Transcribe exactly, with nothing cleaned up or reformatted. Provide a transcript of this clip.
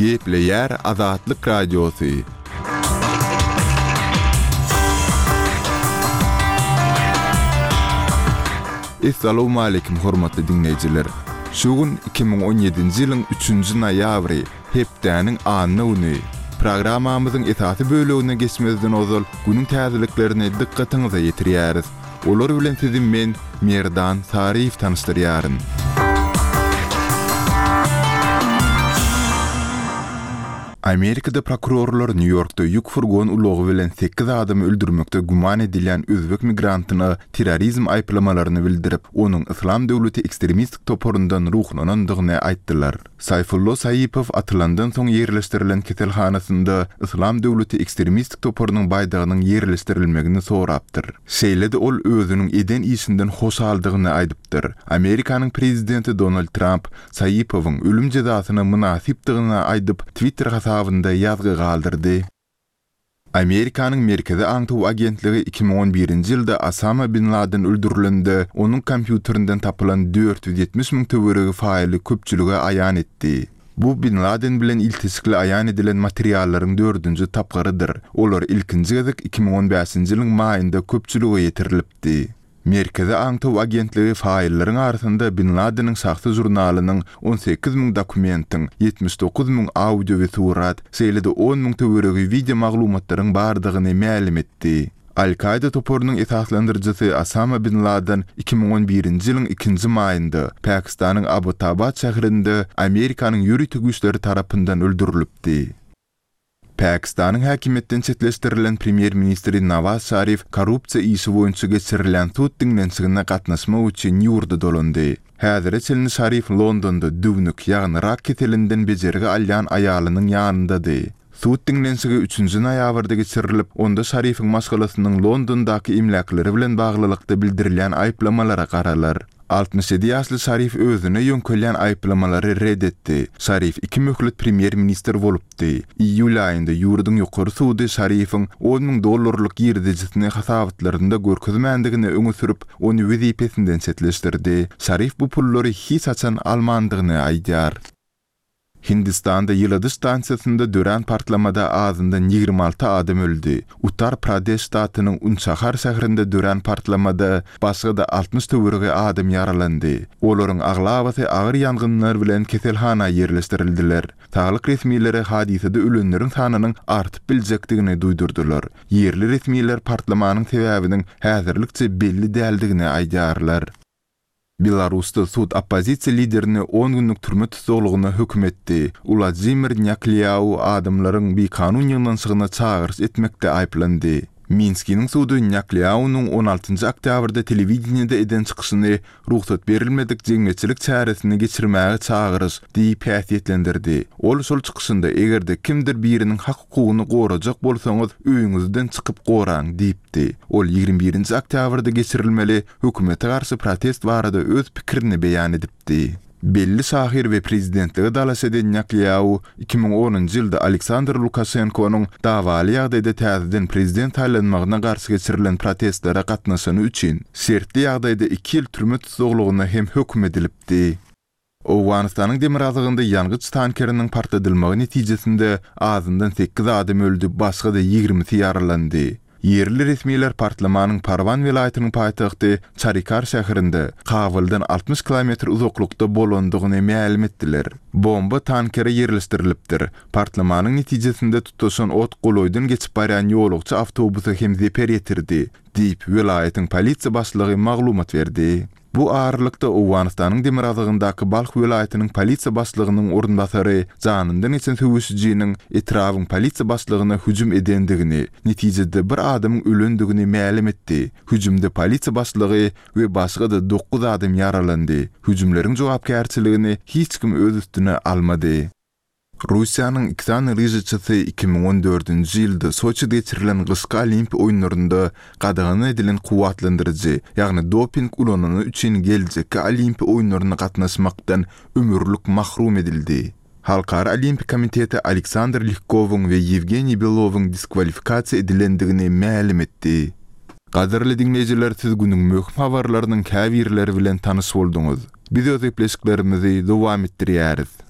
Gepleýär Azatlyk Radiosy. Essalawmaleýkim hormatly diňleýjiler! Şu gün iki müň on ýedinji ýylyň üçünji noýabry, hepdäniň anna güni. Programmamyzyň esasy bölegine geçmezden ozal günüň täzeliklerini dykgatyňyza ýetirýäris. Olar bilen sizi men, Merdan Saryýew tanyşdyrýaryn. Amerikada prokurorlar Nýu-Ýorkda ýük furgon ulagy bilen sekiz adamy öldürmekde güman edilýän özbek migrantyna terrorizm aýyplamalaryny bildirip, onuň Yslam döwleti ekstremistik toparyndan ruhlanandygyny aýtdylar. Saýfullo Saýipow atylandan soň ýerleşdirilen keselhanasynda Yslam döwleti ekstremistik toparynyň baýdagynyň ýerleşdirilmegini sorapdyr. Şeýle-de ol özüniň eden işinden hoşaldygyny aýdypdyr. Amerikanyň prezidenti Donald Tramp Saýipowyň ölüm jezasyna mynasypdygyny aýdyp, Twitter hasabynda ýazgy galdyrdy. Amerikanyň Merkezi aňtaw agentligi iki müň on birinji ýylda Osama bin Laden öldürilende, onuň kompýuterinden tapylan dört ýüz ýetmiş müň töweregi faýly köpçülige aýan etdi. Bu bin Laden bilen ilteşikli aýan edilen materiallaryň dördünji tapgyrydyr. Olar ilkinji gezek iki müň on bäşinji ýylyň maýynda köpçülige ýetirilipdi. Merkezi aňtaw agentligi faýllaryň arasynda bin Ladeniň şahsy žurnalynyň on sekiz müň dokumentiň, ýetmiş dokuz müň audio we surat, şeýle-de on müň töweregi wideo maglumatlaryň bardygyny mälim etdi. Al-Kaýda toparynyň esaslandyryjysy Osama bin Laden iki müň on birinji ýylyň ikinji maýynda Pakistanyň Abbottabad şäherinde Amerikanyň ýörite güýçleri tarapyndan öldürilipdi. Pakistanyň häkimiýetden çetleşdirilen premýer-ministri Nawaz Şarif korrupsiýa işi boýunça geçirilýän sud diňlenişigine gatnaşmak üçin ýurda dolandy. Häzire çenli Şarif Londonda düwnük, ýagny rak keselinden bejergi alýan aýalynyň ýanyndady. Sud diňlenişigi üçünji noýabrda geçirilip, onda Şarifiň maşgalasynyň Londondaky emläkleri bilen baglylykda bildirilýän aýyplamalara garalar. Altmyş ýedi ýaşly Şarif özüne ýöňkelýän aýyplamalary red etdi. Şarif iki möhlet premýer-ministr bolupdy. Iýul aýynda ýurduň ýokary sudy Şarifiň on müň dollarlyk girdejisini hasabatlarynda görkezmändigini öňe sürüp, ony wezipesinden çetleşdirdi. Şarif bu pullary hiç haçan almandygyny aýdýar. Hindistanda ýyladyş stansiýasynda dörän partlamada azyndan ýigrimi alty adam öldi. Uttar Pradeş ştatynyň Unçahar şäherinde dörän partlamada başga-da altmyş töweregi adam ýaralandy. Olaryň aglabasy agyr ýangynlar bilen keselhana ýerleşdirildiler. Saglyk resmileri hadysada ölenleriň sanynyň artyp biljekdigini duýdurdylar. Ýerli resmiler partlamanyň sebäbiniň häzirlikçe belli däldigini aýdýarlar. Belarusda sud oppozisiýa liderini on günlük türme tussaglygyna höküm etdi. Uladzimir Nýaklýau adamlaryň bikanun ýygnanyşygyna çagyryş etmekde aýyplandy. Minskiniň sudy Nýaklýaunyň on altynjy oktýabrda telewideniýede eden çykyşyny rugsat berilmedik jemgyýetçilik çäresini geçirmäge çagyryş diýip häsiýetlendirdi. Ol şol çykyşynda eger-de kimdir biriniň hak-hukugyny gorajak bolsaňyz, öýüňizden çykyp goraň diýipdi. Ol ýigrimi birinji oktýabrda geçirilmeli hökümete garşy protest barada öz pikirini beýan edipdi. Belli şahyr we prezidentlige dalaş eden Nýaklýau iki müň onunjy ýylda Aleksandr Lukaşenkonyň dawaly ýagdaýda täzeden prezident saýlanmagyna garşy geçirilen protestlere gatnaşany üçin şertli ýagdaýda iki ýyl türme tussaglygyna hem höküm edilipdi. Owganystanyň demirgazygynda ýangyç tankeriniň partladylmagy netijesinde azyndan sekiz adam öldi, başga-da ýigrimisi ýaralandy. Ýerli resmiler partlamanyň Parwan welaýatynyň paýtagty Çarikar şäherinde, Kabuldan altmyş kilometr uzaklykda bolandygyny mälim etdiler. Bomba tankere ýerleşdirilipdir. Partlamanyň netijesinde tutaşan ot golaýdan geçip barýan ýolagçy awtobusa hem zeper ýetirdi, diýip, welaýatyň polisiýa başlygy maglumat berdi. Bu aralykda Owganystanyň demirgazygyndaky Balh welaýatynyň polisiýa başlygynyň orunbasary janyndan geçen söweşijiniň etrabyň polisiýa başlygyna hüjüm edendigini, netijede bir adamyň ölendigini mälim etdi. Hüjümde polisiýa başlygy we başga-da dokuz adam ýaralandy. Hüjümleriň jogapkärçiligini hiç kim öz üstüne almady. Russiýanyň iki sany lyžaçysy iki müň on dördünji ýylda Soçide geçirilen gyşky Olimpiýa oýunlarynda gadagan edilen kuwwatlandyryjy, ýagny doping ulanany üçin geljekki Olimpiýa oýunlaryna gatnaşmakdan ömürlik mahrum edildi. Halkara Olimpiýa komiteti Aleksandr Lihkowyň we Ýewgeniý Belowyň diskwalifikasiýa edilendigini mälim etdi. Gadyrly diňleýjiler, siz günüň möhüm habarlarynyň käbirleri bilen tanyş bolduňyz. Biz öz gepleşiklerimizi dowam etdirýäris.